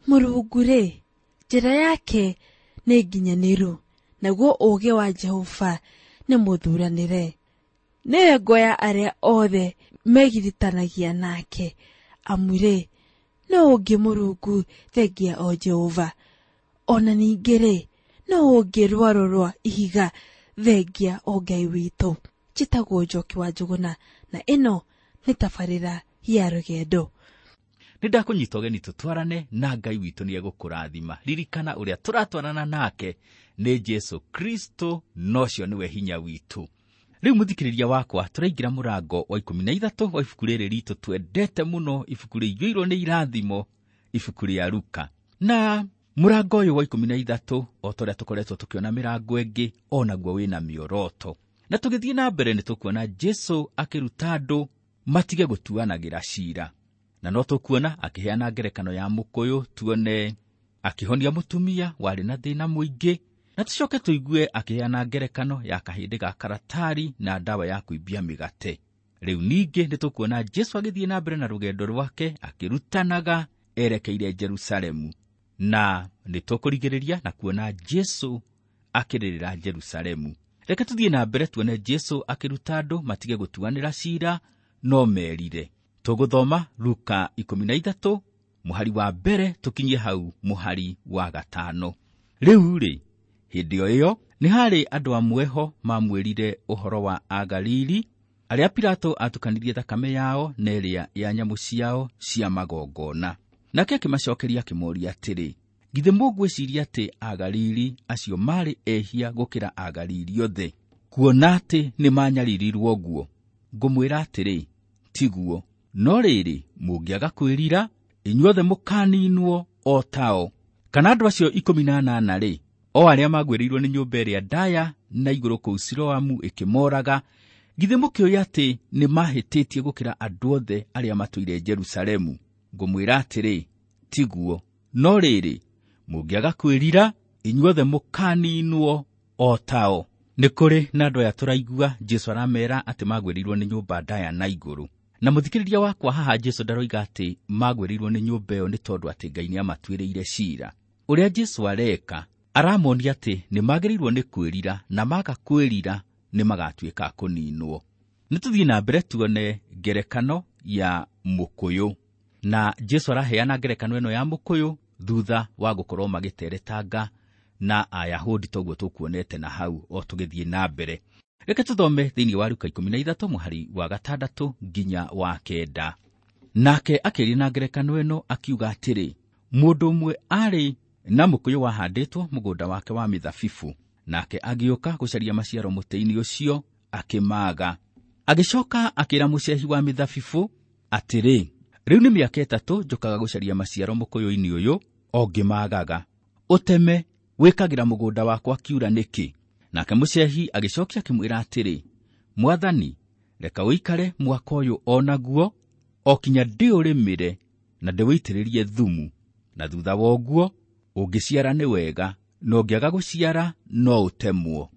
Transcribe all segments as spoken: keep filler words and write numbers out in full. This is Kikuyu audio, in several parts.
Mũrungu-rĩ, njĩra yake nĩ nginyanĩru, naguo ũũgĩ wa Jehova nĩ mũthuranĩre. Nĩwe ngo ya arĩa othe megiritanagia nake, amu-rĩ, nũũ ũngĩ Mũrungu thengia o Jehova? Ona ningĩ-rĩ, nũũ ũngĩ rwaro rwa ihiga thengia o Ngai witũ? Njĩtagwo Njoki wa Njũgũna, na ĩno nĩ tabarĩra ya rũgendo. Nĩ ndakũnyita ũgeni tũtwarane na Ngai witũ nĩ egũkũrathima. Ririkana ũrĩa tũratwarana nake nĩ Jesu Kristo, na ũcio nĩwe hinya witũ. Rĩu mũthikĩrĩria wakwa, tũraingĩra mũrango wa ikũmi na ithatũ wa ibuku rĩrĩ ritũ twendete mũno, ibuku rĩiyũirwo nĩ irathimo, ibuku rĩa Luka. Na mũrango ũyũ wa ikũmi na ithatũ, o ta ũrĩa tũkoretwo tũkĩona mĩrango ĩngĩ, o naguo wĩna mĩoroto. Na tũgĩthiĩ na mbere nĩ tũkuona Jesu akĩruta andũ matige gũtuanagĩra cira. Na no tũkuona akĩheana ngerekano ya mũkũyũ, tuone akĩhonia mũtumia warĩ na thĩna mũingĩ, na tũcoke tũigue akĩheana ngerekano ya kahĩndĩ ga karatari na ndawa ya kũimbia mĩgate. Rĩu ningĩ nĩ tũkuona Jesu agĩthiĩ na mbere na rũgendo rwake akĩrutanaga erekeire Jerusalemu. Na nĩ tũkũrigĩrĩria na kuona Jesu akĩrĩrĩra Jerusalemu. Reke tũthiĩ na mbere tuone Jesu akĩruta andũ matige gũtuanĩra cira no merire. Tũgũthoma Luka ikũmi na ithatũ mũhari wa mbere tũkinyie hau mũhari wa gatano. Rĩu rĩ, hĩndĩ o ĩyo nĩ harĩ andũ amwe ho mamwĩrire ũhoro wa Agalili arĩa Pilato atukanirie thakame yao na ĩrĩa ya nyamũ ciao cia magongona. Nake akĩmacokeria akĩmoria atĩrĩ, githĩ mũngwĩciria atĩ Agalili acio marĩ ehia gũkĩra Agalili othe, kuona atĩ nĩ manyaririrwo ũguo? Ngũmwĩra atĩrĩ, tiguo. No rĩrĩ, mũngĩaga kwĩrira, inyuothe mũkaninwo o tao. Kana andũ acio ikũmi na anana rĩ, o arĩa magwĩrĩirwo nĩ nyũmba ĩrĩa ndaya na igũrũ kũu Siloamu ĩkĩmoraga, githĩ mũkĩũĩ atĩ nĩ mahĩtĩtie gũkĩra andũ othe arĩa matũire Jerusalemu? Ngũmwĩra atĩrĩ, tiguo. No rĩrĩ, mũngĩaga kwĩrira, inyuothe mũkaninwo o tao. Nĩ kũrĩ na andũ aya tũraigua Jesu aramera atĩ magwĩrĩirwo nĩ nyũmba ndaya na igũrũ. Na mũthikĩrĩria wakwa, haha Jesu ndaroiga atĩ magwĩrĩirwo nĩ nyũmba ĩyo nĩ tondũ atĩ Ngai nĩamatuĩrĩire cira. Ũrĩa Jesu areka, aramonia atĩ nĩ magĩrĩirwo nĩ kwĩrira, na maga kwĩrira nĩ magatuĩka a kũninwo. Nĩ tũthiĩ na mbere tuone ngerekano ya mũkũyũ. Na Jesu araheana ngerekano ĩno ya mũkũyũ thutha wa gũkorwo magĩteretanga na Ayahudi, toguo tũkuonete na hau o tũgĩthiĩ na mbere. Reke tũthome thĩinĩ wa Luka ikũmi na ithatũ mũhari wa gatandatũ nginya wa kenda. Nake akĩaria na ngerekano ĩno akiuga atĩrĩ, mũndũ ũmwe arĩ na mũkũyũ wahandĩtwo mũgũnda wake wa mĩthabibũ, nake agĩũka gũcaria maciaro mũtĩ-inĩ ũcio akĩmaaga. Agĩcoka akĩra mũcehi wa mĩthabibũ atĩrĩ, rĩu nĩ mĩaka ĩtatũ njũkaga gũcaria maciaro mũkũyũ-inĩ ũyũ o ngĩmaagaga. Ũteme, wĩkagĩra mũgũnda wakwa kiura nĩkĩ? Nake mũcehi agĩcokia akĩmwĩra atĩrĩ, Mwathani, reka ũikare mwaka ũyũ o naguo, o kinya ndĩũrĩmĩre na ndĩwĩitĩrĩrie thumu, na thutha wa ũguo ũngĩciara nĩ wega, na ũngĩaga gũciara no ũtemwo.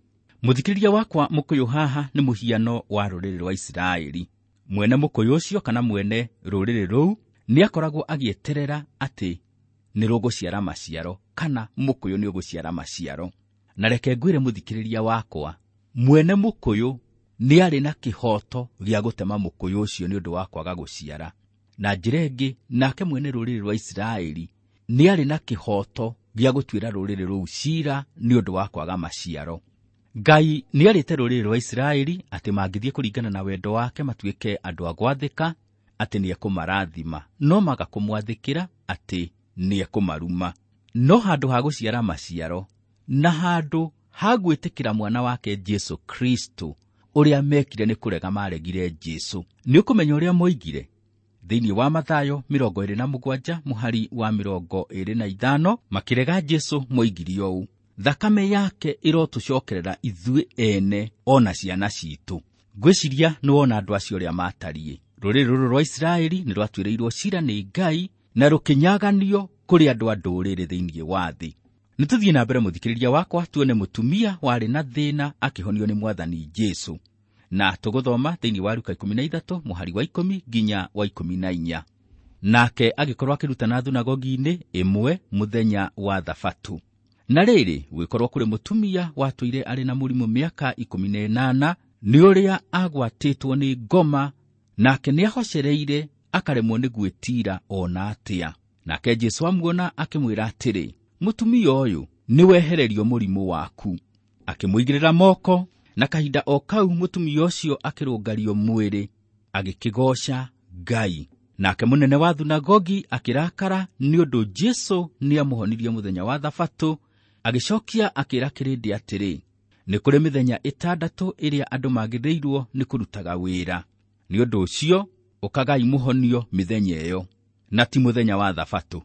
Mũthikĩrĩria wakwa, mũkũyũ haha nĩ mũhiano wa rũrĩrĩ rwa Isiraeli. Mwene mũkũyũ ũcio kana mwene rũrĩrĩ rũu nĩ akoragwo agĩeterera atĩ nĩ rũgũciara maciaro, kana mũkũyũ nĩ ũgũciara maciaro. Na reke ngwĩre mũthikĩrĩria wakwa, mwene mũkũyũ nĩ arĩ na kĩhoto gĩa gũtema mũkũyũ ũcio nĩ ũndũ wa kwaga gũciara. Na njĩra ĩngĩ, nake mwene rũrĩrĩ rwa Isiraeli nĩ arĩ na kĩhoto gĩa gũtuĩra rũrĩrĩ rũu cira nĩ ũndũ wa kwaga maciaro. Ngai nĩ arĩte rũrĩrĩ rwa Isiraeli atĩ mangĩthiĩ kũringana na wendo wake matuĩke andũ a gwathĩka, atĩ nĩ ekũmarathima, no maga kũmwathĩkĩra atĩ nĩ ekũmaruma. No handũ ha gũciara maciaro na handũ ha gwĩtĩkĩra mwana wake Jesu Kristo, ũrĩa mekire nĩ kũrega maregire Jesu. Nĩ ũkũmenya ũrĩa moigire thĩinĩ wa Mathayo mĩrongo ĩrĩ na mũgwanja mũhari wa mĩrongo ĩrĩ na ithano, makĩrega Jesu moigire ũũ, thakame yake ĩrotũcokerera ithuĩ ene ona ciana citũ. Ngwĩciria nĩ wona andũ acio ũrĩa matariĩ. Rũrĩrĩ rũrũ rwa Isiraeli nĩ rwatuĩrĩirwo cira nĩ Ngai na rũkĩnyaganio kũrĩ andũ a ndũrĩrĩ thĩinĩ wa thĩ. Nĩ tũthiĩ na mbere mũthikĩrĩria wakwa, tuone mũtumia warĩ na thĩna akĩhonio nĩ Mwathani Jesu. Na tũgũthoma thĩinĩ wa Luka ikũmi na ithatũ mũhari wa ikũmi nginya wa ikũmi na inya. Nake agĩkorwo akĩrutana thunagogi-inĩ ĩmwe mũthenya wa Thabatũ. Na rĩrĩ, gũgĩkorwo kũrĩ mũtumia watũire arĩ na mũrimũ mĩaka ikũmi na ĩnana, nĩ ũrĩa agwatĩtwo nĩ ngoma, nake nĩahocereire akaremwo nĩ gwĩtiira ona atĩa. Nake Jesũ amuona akĩmwĩra atĩrĩ, mũtumia ũyũ, nĩwehererio mũrimũ waku. Akĩmũigĩrĩra moko, na kahinda o kau mũtumia ũcio akĩrũngario mwĩrĩ, agĩkĩgooca Ngai. Nake mũnene wa thunagogi akĩrakara nĩ ũndũ Jesũ nĩamũhonirie mũthenya wa Thabatũ, agĩcokia akĩĩra kĩrĩndĩ atĩrĩ, nĩ kũrĩ mĩthenya ĩtandatũ ĩrĩa andũ magĩrĩirwo nĩ kũrutaga wĩra. Nĩ ũndũ ũcio ũkagai mũhonio mĩthenya ĩyo, na ti mũthenya wa Thabatũ.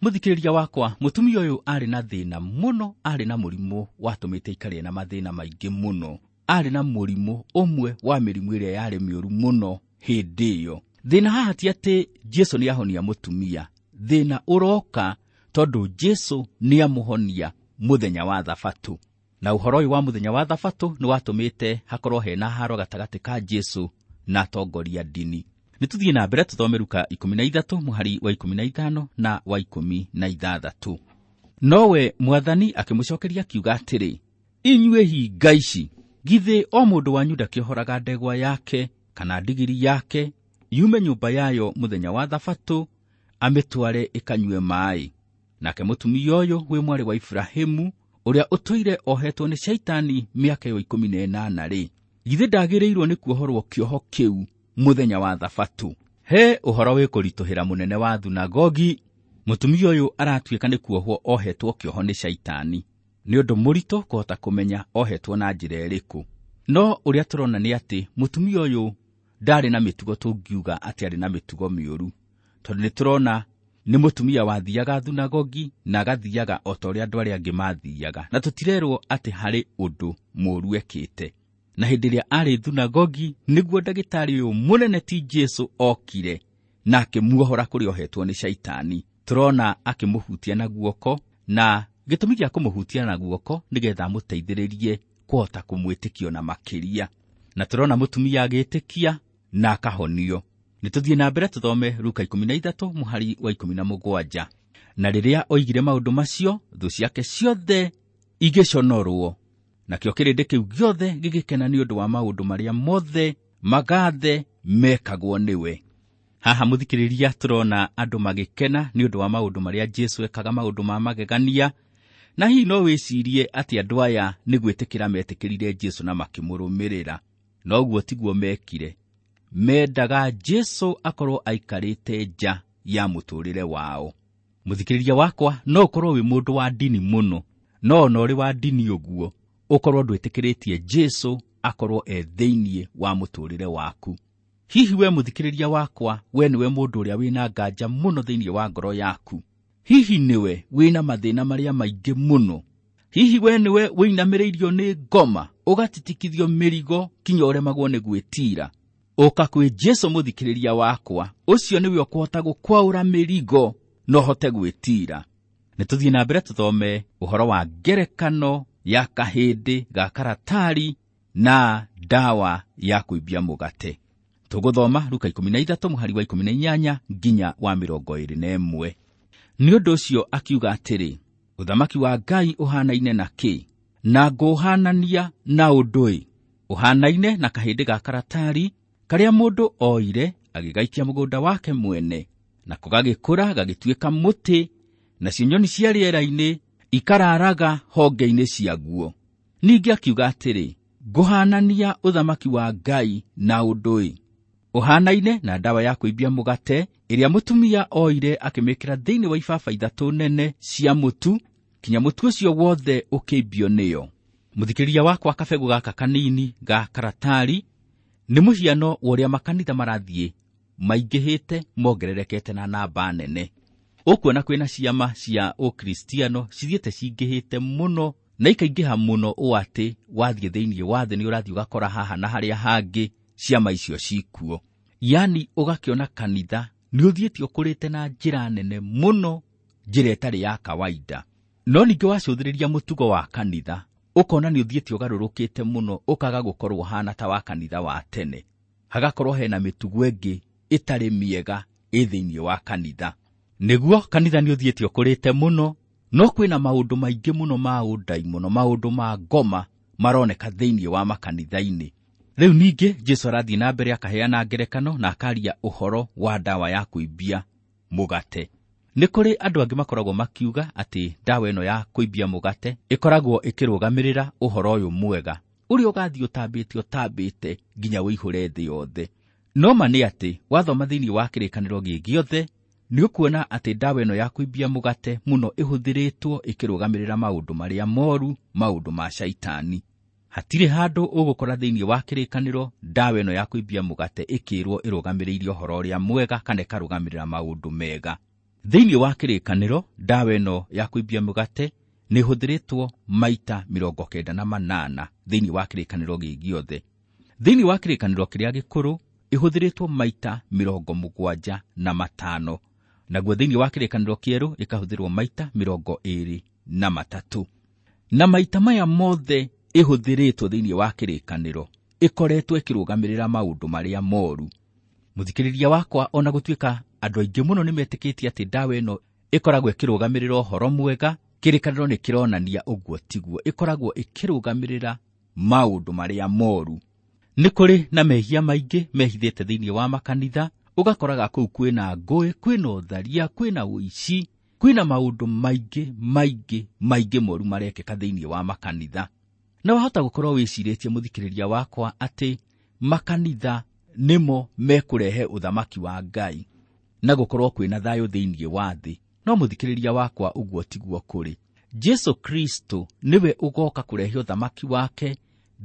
Mũthikĩrĩria wakwa, mũtumia ũyũ arĩ na thĩna mũno, arĩ na mũrimũ watũmĩte aikare na mathĩna maingĩ mũno. Arĩ na mũrimũ ũmwe wa mĩrimũ ĩrĩa yarĩ mĩũru mũno hĩndĩ ĩyo. Thĩna haha ti atĩ Jesũ nĩahonia mũtumia, thĩna ũroka tondũ Jesũ nĩamũhonia mũthenya wa Thabatũ. Na ũhoro ũyũ wa mũthenya wa Thabatũ nĩwatũmĩte hakorwo hena haro gatagatĩ ka Jesũ na atongoria ndini. Nĩtũthiĩ na mbere tũthome Luka ikũmi na ithatũ mũhari wa ikũmi na ithano na wa ikũmi na ithathatũ. Nowe Mwathani akĩmũcokeria akiuga atĩrĩ, inyuĩ hinga ici, githĩ o mũndũ wanyu ndakĩohoraga ndegwa yake kana ndigiri yake yume nyũmba yayo mũthenya wa Thabatũ amĩtware ĩkanyue maaĩ? Nake mũtumia ũyũ wĩ mwarĩ wa Iburahĩmu, ũrĩa ũtũire ohetwo nĩ Shaitani mĩaka ĩyo ikũmi na ĩnana rĩ, githĩ ndagĩrĩirwo nĩ kuohorwo kĩoho kĩu mũthenya wa Thabatũ? He ũhoro wĩ kũritũhĩra mũnene wa thunagogi. Mũtumia ũyũ aratuĩka nĩ kuohwo ohetwo kĩoho nĩ Shaitani. Nĩ ũndũ mũritũ kũhota kũmenya ohetwo na njĩra ĩrĩkũ. No ũrĩa tũrona nĩ atĩ mũtumia ũyũ ndarĩ na mĩtugo tũngiuga atĩ arĩ na mĩtugo mĩũru, tondũ nĩtũrona nĩ mũtumia wathiaga thunagogi na agathiaga o ta ũrĩa andũ arĩa angĩ mathiaga, na tũtirerwo atĩ harĩ ũndũ mũũru ekĩte. Na hĩndĩ ĩrĩa arĩ thunagogi nĩguo ndagĩtarĩ ũyũ mũnene ti Jesũ okire na akĩmuohora kũrĩa ohetwo nĩ Shaitani. Tũrona akĩmũhutia na guoko, na gĩtũmi gĩa kũmũhutia na guoko nĩgetha amũteithĩrĩrie kũhota kũmwĩtĩkio na makĩria. Na tũrona mũtumia agĩtĩkia na akahonio. Nĩtũthiĩ na mbere tũthome Luka ikũmi na ithatũ mũhari wa ikũmi na mũgwanja. Na rĩrĩa oigire maũndũ macio, thũ ciake ciothe igĩconorwo, nakĩo kĩrĩndĩ kĩu gĩothe gĩgĩkena nĩ ũndũ wa maũndũ marĩa mothe magathe mekagwo nĩwe. Haha mũthikĩrĩria, tũrona andũ magĩkena nĩ ũndũ wa maũndũ marĩa Jesũ ekaga, maũndũ ma magegania. Na hihi no wĩcirie atĩ andũ aya nĩ gwĩtĩkĩra metĩkĩrire Jesũ na makĩmũrũmĩrĩra. No ũguo tiguo mekire. Mendaga Jesũ akorwo aikarĩte nja ya mũtũrĩre wao. Mũthikĩrĩria wakwa, no ũkorwo wĩ mũndũ wa ndini mũno, no ona ũrĩ wa ndini ũguo ũkorwo ndwĩtĩkĩrĩtie Jesũ akorwo e thĩinĩ wa mũtũrĩre waku. Hihi we mũthikĩrĩria wakwa, we nĩwe mũndũ ũrĩa wĩna nganja mũno thĩinĩ wa ngoro yaku? Hihi nĩwe wĩna mathĩna marĩa maingĩ mũno? Hihi we nĩwe wĩinamĩrĩirio nĩ ngoma, ũgatitikithio mĩrigo kinya ũremagwo nĩ gwĩtiira? Ũka kwĩ Jesũ mũthikĩrĩria wakwa, ũcio nĩwe ũkũhota gũkwaũra mĩrigo na ũhote gwĩtiira. Nĩtũthiĩ na mbere tũthome ũhoro wa ngerekano ya kahĩndĩ ga karatari na ndawa ya kũimbia mũgate. Tũgũthoma Luka ikũmi na ithatũ mũhari wa ikũmi na inyanya nginya wa mĩrongo ĩĩrĩ na ĩmwe. Nĩ ũndũ ũcio akiuga atĩrĩ, ũthamaki wa Ngai ũhanaine na kĩ? Na ngũũhanania na ũndũ ĩ? Ũhanaine na kahĩndĩ ga karatari karĩa mũndũ oire agĩgaikia mũgũnda wake mwene, nako gagĩkũra gagĩtuĩka mũtĩ, nacio nyoni cia rĩera-inĩ ikararaga honge-inĩ ciaguo. Ningĩ akiuga atĩrĩ, ngũhanania ũthamaki wa Ngai na ũndũ ĩ? Ũhanaine na ndawa ya kũimbia mũgate ĩrĩa mũtumia oire akĩmĩkĩra thĩinĩ wa ibaba ithatũ nene cia mũtu, kinya mũtu ũcio wothe ũkĩimbio nĩyo. Mũthikĩrĩria wakwa, kabegũ gaka kanini ga karatari nĩ mũhiano wa ũrĩa makanitha marathiĩ maingĩhĩte mongererekete na namba nene. Ũkuona kwĩna ciama cia ũkristiano cithiĩte cingĩhĩte mũno na ikaingĩha mũno ũũ atĩ wathiĩ thĩinĩ wa thĩ nĩ ũrathiĩ ũgakora haha na harĩa hangĩ ciama icio cikuo. Yani ũgakĩona kanitha nĩ ũthiĩte ũkũrĩte na njĩra nene mũno, njĩra ĩtarĩ ya kawaida. No ningĩ wacũthĩrĩria mũtugo wa kanitha, ũkona nĩ ũthiĩte ũgarũrũkĩte mũno, ũkaga gũkorwo ũhana ta wa kanitha wa tene. Hagakorwo hena mĩtugo ĩngĩ ĩtarĩ mĩega ĩ thĩinĩ wa kanitha. Nĩguo kanitha nĩ ũthiĩte ũkũrĩte mũno, no kwĩna maũndũ maingĩ mũno ma ũndaimono, maũndũ ma ngoma maroneka thĩinĩ wa makanitha-inĩ. Rĩu ningĩ Jesũ arathiĩ na mbere akaheana ngerekano na akaria ũhoro wa ndawa ya kũimbia mũgate. Nĩ kũrĩ andũ angĩ makoragwo makiuga atĩ ndawa ĩno ya kũimbia mũgate ĩkoragwo ĩkĩrũgamĩrĩra ũhoro ũyũ mwega ũrĩa ũgathiĩ ũtambĩte ũtambĩte nginya ũihũre thĩ yothe. No ma nĩ atĩ wathoma thĩinĩ wa kĩrĩkanĩro gĩ gĩothe nĩ ũkuona atĩ ndawa ĩno ya kũimbia mũgate mũno ĩhũthĩrĩtwo ĩkĩrũgamĩrĩra maũndũ marĩa moru, maũndũ ma shaitani. Hatirĩ handũ ũgũkora thĩinĩ wa kĩrĩkanĩro ndawa ĩno ya kũimbia mũgate ĩkĩrwo ĩrũgamĩrĩire ũhoro ũrĩa mwega kana ĩkarũgamĩrĩra maũndũ mega. Thĩinĩ wa kĩrĩkanĩro ndawa ĩno ya kũimbia mũgate nĩ ĩhũthĩrĩtwo maita mĩrongo kenda na manana thĩinĩ wa kĩrĩkanĩro gĩ gĩothe. Thĩinĩ wa kĩrĩkanĩro kĩrĩa gĩkũrũ ĩhũthĩrĩtwo maita mĩrongo mũgwanja na matano, naguo thĩinĩ wa kĩrĩkanĩro kĩerũ ĩkahũthĩrwo maita mĩrongo ĩĩrĩ na matatũ. Na maita maya mothe ĩhũthĩrĩtwo thĩinĩ wa kĩrĩkanĩro ĩkoretwo ĩkĩrũgamĩrĩra maũndũ marĩa moru. Mũthikĩrĩria wakwa, ona gũtuĩka andũ aingĩ mũno nĩ metĩkĩtie atĩ ndawa ĩno ĩkoragwo ĩkĩrũgamĩrĩra ũhoro mwega, kĩrĩkanĩro nĩ kĩronania ũguo tiguo. Ĩkoragwo ĩkĩrũgamĩrĩra maũndũ marĩa moru. Nĩ kũrĩ na mehia maingĩ mehithĩte thĩinĩ wa makanitha, ũgakoraga kũu kwĩna ngũĩ, kwĩna ũtharia, kwĩna ũici, kwĩna maũndũ maingĩ maingĩ maingĩ moru marekĩka thĩinĩ wa makanitha. Na wahota gũkorwo wĩcirĩtie mũthikĩrĩria wakwa atĩ makanitha nĩmo mekũrehe ũthamaki wa Ngai na gũkorwo kwĩna thayũ thĩinĩ wa thĩ. No mũthikĩrĩria wakwa, ũguo tiguo kũrĩ. Jesũ Kristo nĩwe ũgoka kũrehe ũthamaki wake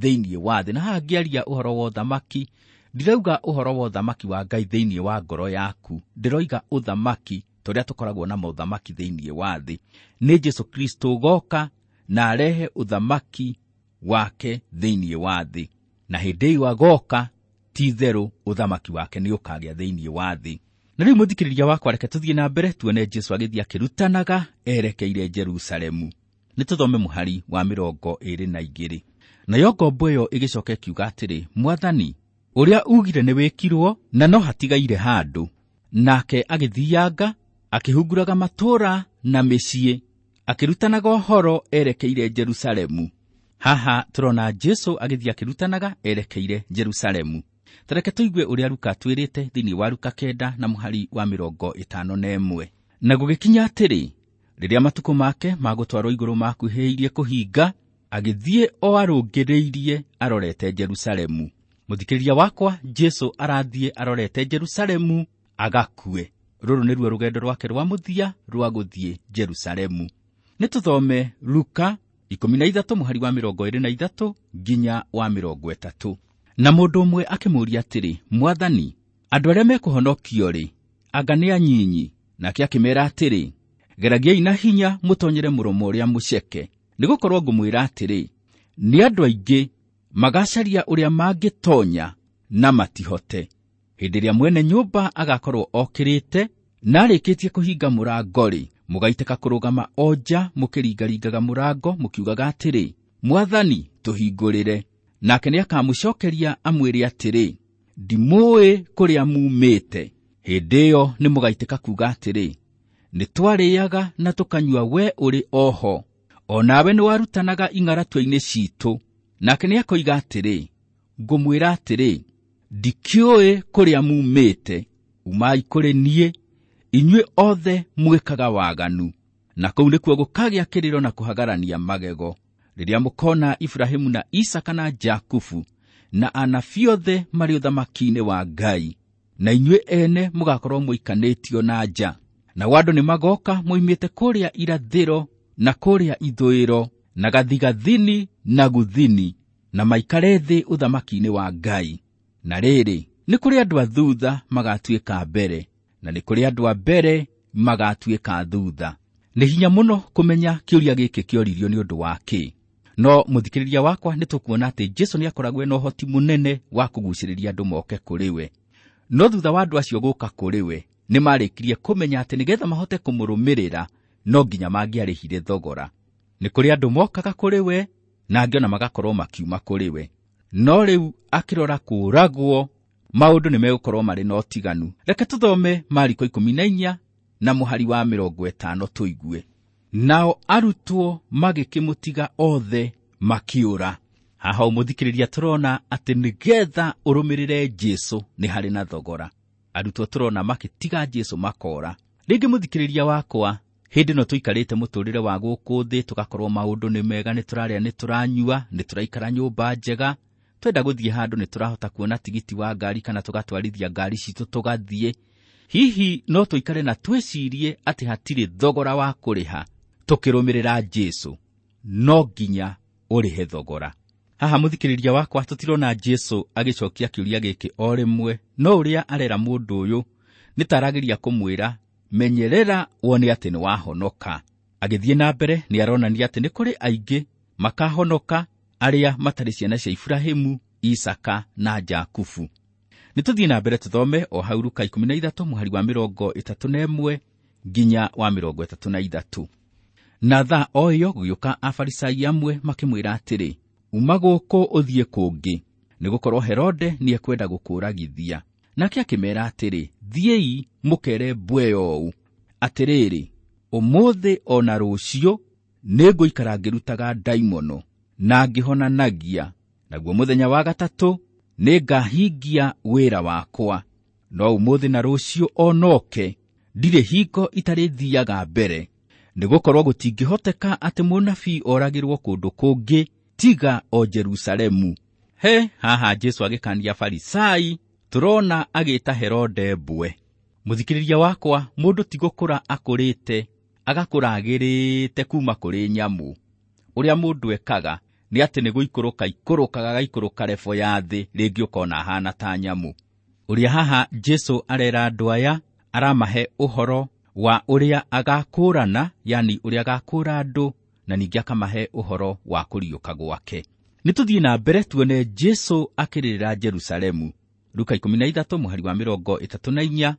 thĩinĩ wa thĩ. Na haha ngĩaria ũhoro wa ũthamaki, ndirauga ũhoro wa ũthamaki wa Ngai thĩinĩ wa ngoro yaku, ndĩroiga ũthamaki tũrĩa tũkoragwo na maũthamaki thĩinĩ wa thĩ. Nĩ Jesũ Kristo ũgoka na arehe ũthamaki wake thĩinĩ wa thĩ, na hĩndĩ ĩyo agoka ti itherũ ũthamaki wake nĩ ũkagĩa thĩinĩ wa thĩ. Na rĩu mũthikĩrĩria wakwa, reke tũthiĩ na mbere tuone Jesũ agĩthiĩ akĩrutanaga erekeire Jerusalemu. Nĩ tũthome mũhari wa mĩrongo ĩĩrĩ na igĩrĩ. Nayo ngombo ĩyo ĩgĩcoka ĩkiuga atĩrĩ, Mwathani, ũrĩa ugire nĩ wĩkirwo na no hatigaire handũ. Nake agĩthianga akĩhunguraga matũũra na mĩciĩ, akĩrutanaga ũhoro erekeire Jerusalemu. Haha tũrona Jesũ agĩthiĩ akĩrutanaga erekeire Jerusalemu. Tareke tũigue ũrĩa Luka atwĩrĩte thĩinĩ wa Luka kenda na mũhari wa mĩrongo ĩtano na ĩmwe. Na gũgĩkinya atĩrĩ, rĩrĩa matukũ make ma gũtwarwo igũrũ makuhĩrĩirie kũhinga, agĩthiĩ o arũngĩrĩirie arorete Jerusalemu. Mũthikĩrĩria wakwa, Jesũ arathiĩ arorete Jerusalemu agakue. Rũrũ nĩruo rũgendo rwake rwa mũthia rwa gũthiĩ Jerusalemu. Nĩ tũthome Luka ikũmi na ithatũ mũhari wa mĩrongo ĩĩrĩ na ithatũ nginya wa mĩrongo ĩtatũ. Na mũndũ ũmwe akĩmũũria atĩrĩ, Mwathani, andũ arĩa mekũhonokio-rĩ, anga nĩ anyinyi? Nake akĩmeera atĩrĩ, geragiai na hinya mũtonyere mũromo ũrĩa mũceke, nĩgũkorwo ngũmwĩra atĩrĩ, nĩ andũ aingĩ magacaria ũrĩa mangĩtonya na matihote. Hĩndĩ ĩrĩa mwene nyũmba agakorwo okĩrĩte na arĩkĩtie kũhinga mũrango-rĩ, mũgaitĩka kũrũgama o nja mũkĩringaringaga mũrango mũkiugaga atĩrĩ, Mwathani, tũhingũrĩre. Nake nĩakamũcookeria amwĩre atĩrĩ, ndimũũĩ kũrĩa muumĩte. Hĩndĩ ĩyo nĩmũgaitĩka kuuga atĩrĩ, nĩtwarĩaga na tũkanyua we ũrĩ oho, o nawe nĩwarutanaga ing'aratua-inĩ ciitũ. Nake nĩakoiga atĩrĩ, ngũmwĩra atĩrĩ, ndikĩũĩ kũrĩa muumĩte, umai kũrĩ niĩ, inyuĩ othe mwĩkaga waganu. Na kũu nĩkuo gũkagĩa kĩrĩro na kũhagarania magego, rĩrĩa mũkona Ibrahimu na Isaka na Jakubu na anabii othe marĩ ũthamaki-inĩ wa Ngai, na inyuĩ ene mũgakorwo mũikanĩtio na nja. Nao andũ nĩmagoka moimĩte kũrĩa irathĩro na kũrĩa ithũĩro na gathigathini na guthini, na maikare thĩ ũthamaki-inĩ wa Ngai. Na rĩrĩ, nĩ kũrĩ andũ a thutha magatuĩka mbere, na nĩ kũrĩ andũ a mbere magatuĩka thutha. Nĩ hinya mũno kũmenya kĩũria gĩkĩ kĩoririo nĩ ũndũ wa kĩ. No mũthikĩrĩria wakwa, nĩ tũkuona atĩ Jesũ nĩakoragwo na ũhoti mũnene wa kũgucĩrĩria andũ moke kũrĩ we. No thutha wa andũ acio gũka kũrĩ we, nĩmarĩkirie kũmenya atĩ nĩgetha mahote kũmũrũmĩrĩra no nginya mangĩarĩhire thogora. Nĩ kũrĩ andũ mokaga kũrĩ we na angĩ ona magakorwo makiuma kũrĩ we. No rĩu akĩrora kũũragwo, Maũndũ nĩ megũkorwo marĩ na ũtiganu. Reke tũthome Mariko ikũmi na inya na mũhari wa mĩrongo ĩtano tũigue. Nao arutwo magĩkĩmũtiga othe makĩũra. Haha ũmũthikĩrĩria tũrona atĩ nĩgetha ũrũmĩrĩre Jesũ nĩ harĩ na thogora. Arutwo tũrona makĩtiga Jesũ makora. Rĩngĩ mũthikĩrĩria wakwa, hĩndĩ ĩno tũikarĩte mũtũrĩre wa gũkũ thĩ, tũgakorwo maũndũ nĩ mega, nĩ tũrarĩa, nĩ tũranyua, nĩ tũraikara nyũmba njega, twenda gũthiĩ handũ nĩ tũrahota kuona tigiti wa ngari kana tũgatwarithia ngari citũ tũgathiĩ. Hihi no tũikare na twĩcirie atĩ hatirĩ thogora wa kũrĩha tũkĩrũmĩrĩra Jesũ? No nginya ũrĩhe thogora. Haha mũthikĩrĩria wakwa, tũtirona Jesũ agĩcokia kĩũria gĩkĩ o rĩmwe, no ũrĩa arera mũndũ ũyũ nĩ ta arageria kũmwĩra menyerera wone atĩ nĩ wahonoka. Agĩthiĩ na mbere nĩ aronania atĩ nĩ kũrĩ aingĩ makahonoka arĩa matarĩ ciana cia Iburahĩmu, Isaka na Jakubu. Nĩ tũthiĩ na mbere tũthome o hau Luka ikũmi na ithatũ mũhari wa mĩrongo ĩtatũ na ĩmwe nginya wa mĩrongo ĩtatũ na ithatũ. Na thaa o ĩyo gũgĩũka Afarisai amwe makĩmwĩra atĩrĩ, uma gũkũ ũthiĩ kũngĩ, nĩgũkorwo Herode nĩekwenda gũkũũragithia. Nake akĩmeera atĩrĩ, thiĩi mũkere mbwe ũũ, atĩrĩrĩ, ũmũthĩ o na rũciũ nĩngũikara ngĩrutaga ndaimono na ngĩhonanagia, naguo mũthenya wa gatatũ nĩngahingia wĩra wakwa. No ũmũthĩ na rũciũ o noke ndirĩ hingo itarĩthiaga mbere, nĩgũkorwo gũtingĩhoteka atĩ mũnabii oragĩrwo kũndũ kũngĩ tiga o Jerusalemu. He haha Jesũ agĩkania Farisai, tũrona agĩta Herode mbwe. Mũthikĩrĩria wakwa, mũndũ ti gũkũra akũrĩte, agakũra agĩrĩte kuma kũrĩ nyamũ. Ũrĩa mũndũ ekaga nĩ atĩ nĩ gũikũrũka ikũrũkaga agaikũrũka rebo ya thĩ, rĩngĩ ũkona ahana ta nyamũ. Ũrĩa haha Jesũ arera andũ aya, aramahe ũhoro wa ũrĩa agakũrana, yani ũrĩa agakũra andũ, na ningĩ akamahe ũhoro wa kũriũka gwake. Nĩ tũthiĩ na mbere tuone Jesũ akĩrĩrĩra Jerusalemu. Luka ikũmi na ithatũ mũhari wa mĩrongo ĩtatũ na inya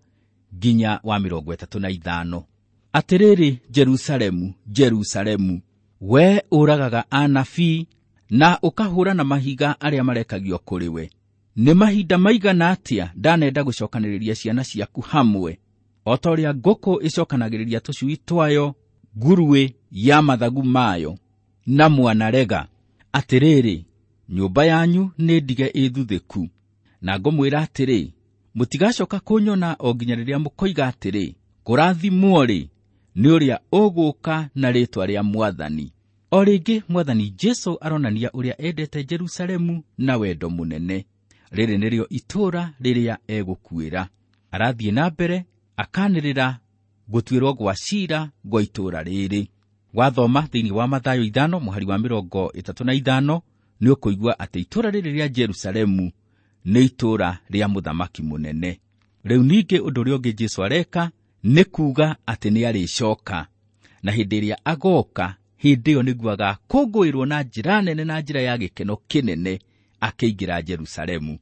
nginya wa mĩrongo ĩtatũ na ithano. Atĩrĩrĩ Jerusalemu, Jerusalemu, we ũragaga anabii na ũkahũra na mahiga arĩa marekagio kũrĩ we. Nĩ mahinda maigana atĩa ndanenda gũcokanĩrĩria ciana ciaku hamwe, o ta ũrĩa ngũkũ ĩcokanagĩrĩria tũcui twayo nguruĩ ya mathagu mayo, na mwanarega. Atĩrĩrĩ, nyũmba yanyu nĩ ndige ĩthuthĩku, na ngũmwĩra atĩrĩ, mũtigacoka kũnyona o nginya rĩrĩa mũkoiga atĩrĩ, kũrathimwo-rĩ nĩ ũrĩa ũgũka na rĩĩtwa rĩa Mwathani. O rĩngĩ Mwathani Jesũ aronania ũrĩa endete Jerusalemu na wendo mũnene. Rĩrĩ nĩrĩo itũũra rĩrĩa egũkuĩra. Arathiĩ na mbere akanĩrĩra gũtuĩrwo gwa ciira gwa itũũra rĩrĩ. Wathoma thĩinĩ wa Mathayo ithano mũhari wa mĩrongo ĩtatũ na ithano nĩ ũkũigua atĩ itũũra rĩrĩ rĩa Jerusalemu nĩ itũũra rĩa mũthamaki mũnene. Rĩu ningĩ ũndũ ũrĩa ũngĩ Jesũ areka nĩ kuuga atĩ nĩ arĩcoka, na hĩndĩ ĩrĩa agoka, hĩndĩ ĩyo nĩguo agakũngũĩrwo na njĩra nene na njĩra ya gĩkeno kĩnene akĩingĩra Jerusalemu.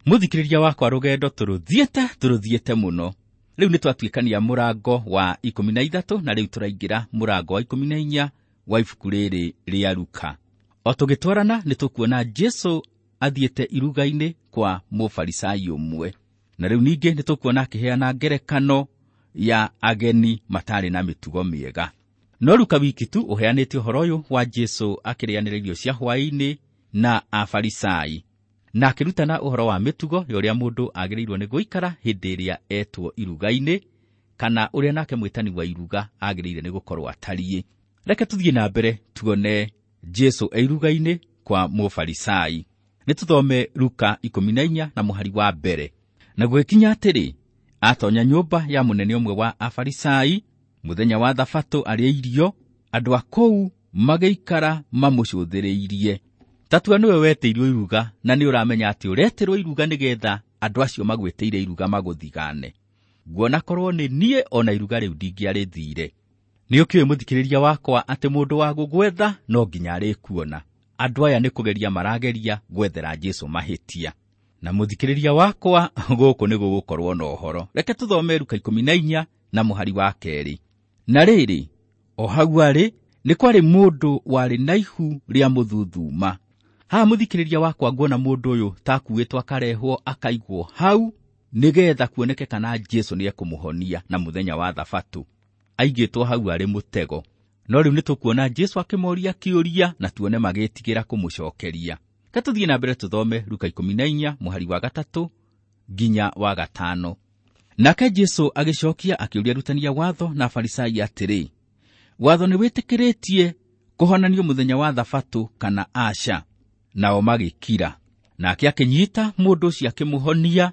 Mũthikĩrĩria wakwa, rũgendo tũrũthiĩte tũrũthiĩte mũno. Rĩu nĩ twatuĩkania mũrango wa ikũmi na ithatũ na rĩu tũraingĩra mũrango wa ikũmi na inya wa ibuku rĩrĩ rĩa Luka. O tũgĩtwarana nĩ tũkuona Jesũ athiĩte iruga-inĩ kwa mũfarisai ũmwe, na rĩu ningĩ nĩ tũkuona akĩheana ngerekano ya ageni matarĩ na mĩtugo mĩega. No Luka wiki tu ũheanĩte ũhoro ũyũ wa Jesũ akĩrĩanĩra irio cia hwaĩ-inĩ na Afarisai, na akĩrutana ũhoro wa mĩtugo ya ũrĩa mũndũ agĩrĩirwo nĩ gũikara hĩndĩ ĩrĩa etwo iruga-inĩ, kana ũrĩa nake mwĩtani wa iruga agĩrĩire nĩ gũkorwo atariĩ. Reke tũthiĩ na mbere tuone Jesũ e iruga-inĩ kwa mũfarisai. Nĩ tũthome Luka ikũmi na inya na mũhari wa mbere. Na gũgĩkinya atĩrĩ, atonya nyũmba ya mũnene ũmwe wa Afarisai mũthenya wa Thabatũ arĩa irio, andũ a kũu magĩikara mamũcũthĩrĩirie. Tatua nĩwe wetĩirwo iruga, na nĩ ũramenya atĩ ũretĩrwo iruga nĩgetha andũ acio magwĩtĩire iruga magũthigane. Nguona korwo nĩ niĩ ona iruga rĩu ndingĩarĩthire. Nĩ ũkĩũĩ mũthikĩrĩria wakwa atĩ mũndũ wa gũgwetha no nginya arĩkuona. Andũ aya nĩ kũgeria marageria gwethera Jesũ mahĩtia. Na mũthikĩrĩria wakwa, gũkũ nĩ gũgũkorwo na ũhoro. Reke tũthome Luka ikũmi na inya na mũhari wa kerĩ. Na rĩrĩ, o hau arĩ, nĩ kwarĩ mũndũ warĩ na ihu rĩa mũthuthuma. Haha mũthikĩrĩria wakwa nguona mũndũ ũyũ ta akuĩtwo akarehwo akaigwo hau nĩgetha kuoneke kana Jesũ nĩekũmũhonia na mũthenya wa thabatũ. Aigĩtwo hau arĩ mũtego. No rĩu nĩtũkuona Jesũ akĩmoria kĩũria na tuone magĩtigĩra kũmũcokeria. Ka tũthiĩ na mbere tũthome Luka ikũmi na inya mũhari wa gatatũ nginya wa gatano. Nake Jesũ agĩcokia akĩũria arutani a watho na Afarisai atĩrĩ, watho nĩwĩtĩkĩrĩtie kũhonanio mũthenya wa thabatũ kana aca? Nao magĩkira. Nake akĩnyita mũndũ ũcio akĩmũhonia,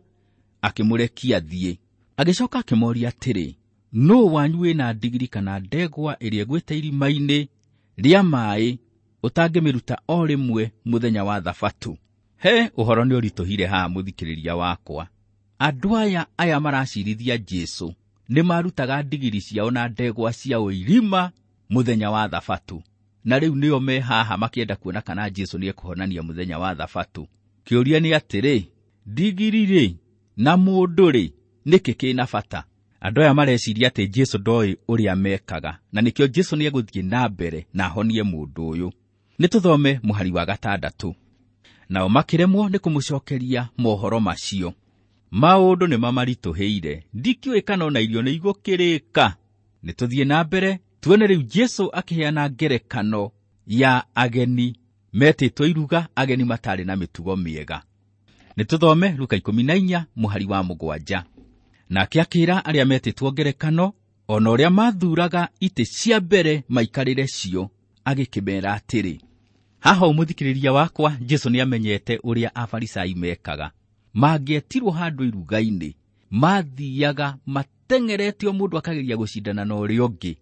akĩmũrekia athiĩ. Agĩcoka akĩmoria atĩrĩ, nũũ wanyu wĩna ndigiri kana ndegwa ĩrĩa ĩgwĩte irima-inĩ rĩa maaĩ ũtangĩmĩruta o rĩmwe mũthenya wa thabatũ? He, ũhoro nĩ ũritũhire haha mũthikĩrĩria wakwa. Andũ aya aya maracirithia Jesũ nĩ marutaga ndigiri ciao na ndegwa ciao irima mũthenya wa thabatũ, na rĩu nĩo me haha makĩenda kuona kana Jesũ nĩekũhonania mũthenya wa thabatũ. Kĩũria nĩ atĩrĩ, ndigiri rĩ na mũndũ rĩ nĩkĩ kĩna bata? Andũ aya mareciria atĩ Jesũ ndoĩ ũrĩa mekaga, na nĩkĩo Jesũ nĩegũthiĩ na mbere na ahonie mũndũ ũyũ. Nĩtũthome mũhari wa gatandatũ. Nao makĩremwo nĩ kũmũcokeria mohoro macio. Maũndũ nĩ mamaritũhĩire, ndikĩũĩ kana ona irio nĩ igũkĩrĩka. Nĩtũthiĩ na mbere tuone rĩu Jesũ akĩheana ngerekano ya ageni metĩtwo iruga, ageni matarĩ na mĩtugo mĩega. Nĩtũthome Luka ikũmi na inya mũhari wa mũgwanja. Nake akĩra arĩa metĩtwo ngerekano ona ũrĩa mathuraga itĩ cia mbere maikarĩre cio, agĩkĩmera atĩrĩ. Haha ũmũthikĩrĩria wakwa, Jesũ nĩamenyete ũrĩa Afarisai mekaga. Mangĩetirwo handũ iruga-inĩ, mathiaga mateng'erete o mũndũ akageria gũcindana na ũrĩa ũngĩ,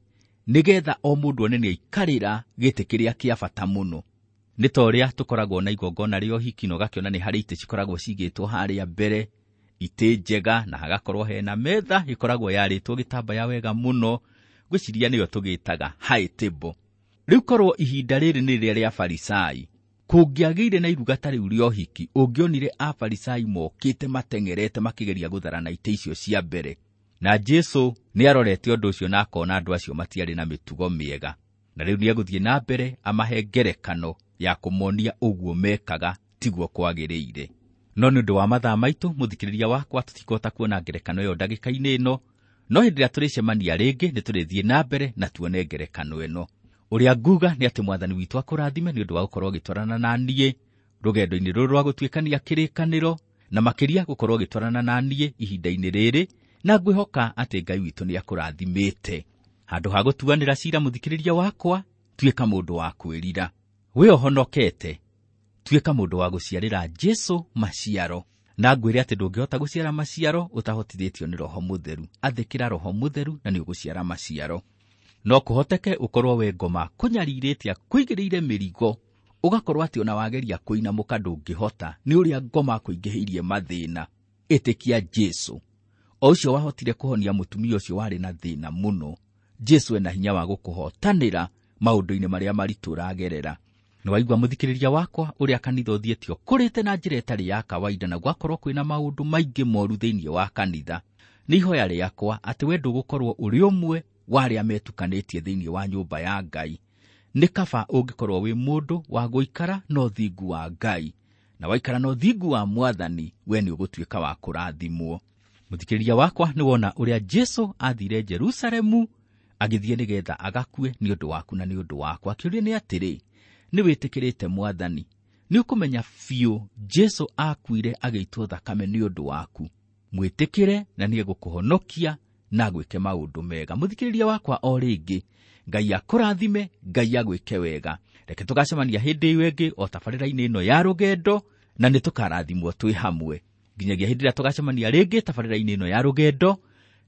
nĩgetha o mũndũ one nĩaikarĩra gĩtĩ kĩrĩa kĩa bata mũno. Nĩ ta ũrĩa tũkoragwo na igongona rĩa ũhiki na ũgakĩona nĩ harĩ itĩ cikoragwo cigĩtwo harĩa mbere, itĩ njega, na hagakorwo hena metha ĩkoragwo yarĩtwo gĩtambaya wega mũno, ngwĩciria nĩyo tũgĩtaga high table. Rĩu korwo ihinda rĩrĩ nĩ rĩrĩa rĩa Farisai, kũngĩagĩire na iruga ta rĩu rĩa ũhiki, ũngĩonire Afarisai mokĩte mateng'erete makĩgeria gũtharana itĩ icio cia mbere. Na Jesũ nĩarorete ũndũ ũcio na akona andũ acio matiarĩ na mĩtugo mĩega. Na rĩu nĩegũthiĩ na mbere amahe ngerekano ya kũmonia ũguo mekaga tiguo kwagĩrĩire. No nĩ ũndũ wa mathaa maitũ, mũthikĩrĩria wakwa, tũtikũhota kuona ngerekano ĩyo ndagĩka-inĩ ĩno, no hĩndĩ ĩrĩa tũrĩcemania rĩngĩ nĩtũrĩthiĩ na mbere na tuone ngerekano ĩno. Ũrĩa nguga nĩ atĩ Mwathani witũ akũrathime nĩ ũndũ wa gũkorwo ũgĩtwarana na niĩ rũgendo-inĩ rũrũ rwa gũtuĩkania kĩrĩkanĩro, na makĩria gũkorwo ũgĩtwarana na niĩ ihinda-inĩ rĩrĩ, na ngwĩhoka atĩ Ngai witũ nĩakũrathimĩte. Handũ ha gũtuanĩra cira mũthikĩrĩria wakwa, tuĩka mũndũ wa kwĩrira. We ũhonokete, tuĩka mũndũ wa gũciarĩra Jesũ maciaro. Na ngwĩre atĩ ndũngĩhota gũciara maciaro ũtahotithĩtio nĩ Roho Mũtheru. Athĩkĩra Roho Mũtheru na nĩũgũciara maciaro. No kũhoteke ũkorwo we ngoma kũnyarirĩte akũigĩrĩire mĩrigo, ũgakorwo atĩ ona wageria kũinamũka ndũngĩhota nĩ ũrĩa ngoma akũingĩhĩirie mathĩna. Ĩtĩkia Jesũ, o ũcio wahotire kũhonia mũtumia ũcio warĩ na thĩna mũno. Jesũ ena hinya wa gũkũhotanĩra maũndũ-inĩ marĩa maritũ ũragerera. Nĩwaigua mũthikĩrĩria wakwa ũrĩa kanitha ũthiĩte ũkũrĩte na njĩra ĩtarĩ ya kawaida, na gwakorwo kwĩna maũndũ maingĩ moru thĩinĩ wa kanitha. Nĩ ihoya rĩakwa atĩ we ndũgũkorwo ũrĩ ũmwe wa arĩa metukanĩtie thĩinĩ wa nyũmba ya Ngai. Nĩ kaba ũngĩkorwo wĩ mũndũ wa gũikara na ũthingu wa Ngai, na waikara na ũthingu wa Mwathani, we nĩ ũgũtuĩka wa kũrathimwo. Mũthikĩrĩria wakwa, nĩwona ũrĩa Jesũ athire Jerusalemu agĩthiĩ nĩgetha agakue nĩ ũndũ waku na nĩ ũndũ wakwa. Kĩũria nĩ atĩrĩ, nĩwĩtĩkĩrĩte Mwathani? Nĩũkũmenya biũ Jesũ akuire agĩitwo thakame nĩ ũndũ waku. Mwĩtĩkĩre na nĩegũkũhonokia na agwĩke maũndũ mega. Mũthikĩrĩria wakwa, o rĩngĩ, Ngai akũrathime, Ngai agwĩke wega. Reke tũgacemania hĩndĩ ĩyo ĩngĩ o tabarĩra-inĩ ĩno ya rũgendo, na nĩtũkarathimwo twĩ hamwe. Nginyagia hĩndĩ ĩrĩa tũgacemania rĩngĩ tabarĩra-inĩ ĩno ya rũgendo,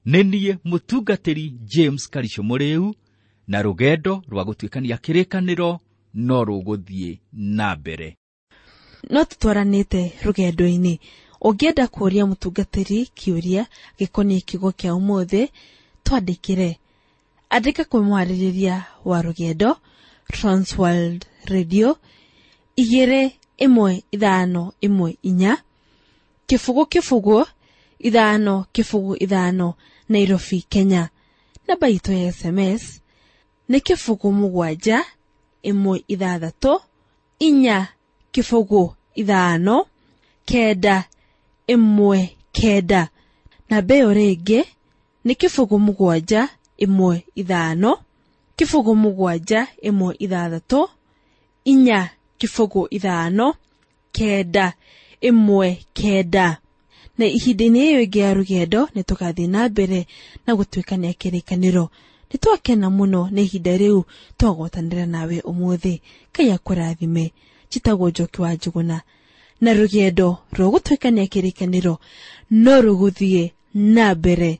nĩ niĩ mũtungatĩri James Karisho Mũrĩu, na rũgendo rwa gũtuĩkania kĩrĩkanĩro no rũgũthiĩ na mbere. No tũtwaranĩte rũgendo-inĩ. Ũngĩenda kũũria mũtungatĩri kĩũria gĩkoniĩ kiugo kĩa ũmũthĩ, twandĩkĩre. Andĩka kwĩ mwarĩrĩria wa rũgendo, Transworld Radio, igĩrĩ ĩmwe ithano ĩmwe inya, kĩbũgũ kĩbũgũ ithano kĩbũgũ ithano, Nairobi, Kenya. Namba itũ ya S M S nĩ kĩbũgũ mũgwanja ĩmwe ithathatũ inya kĩbũgũ ithano kenda ĩmwe kenda. Namba ĩyo rĩngĩ nĩ kĩbũgũ mũgwanja ĩmwe ithano kĩbũgũ mũgwanja ĩmwe ithathatũ inya kĩbũgũ ithano kenda ĩmwe kenda. Na ihinda-inĩ ĩyo ĩngĩ ya rũgendo nĩ tũgathiĩ na mbere na gũtuĩkania kĩrĩkanĩro. Nĩ twakena mũno nĩ ihinda rĩu twagwatanĩra nawe ũmũthĩ. Ngai akũrathime. Njĩtagwo Njoki wa Njũgũna, na rũgendo rwa gũtuĩkania kĩrĩkanĩro no rũgũthiĩ na mbere.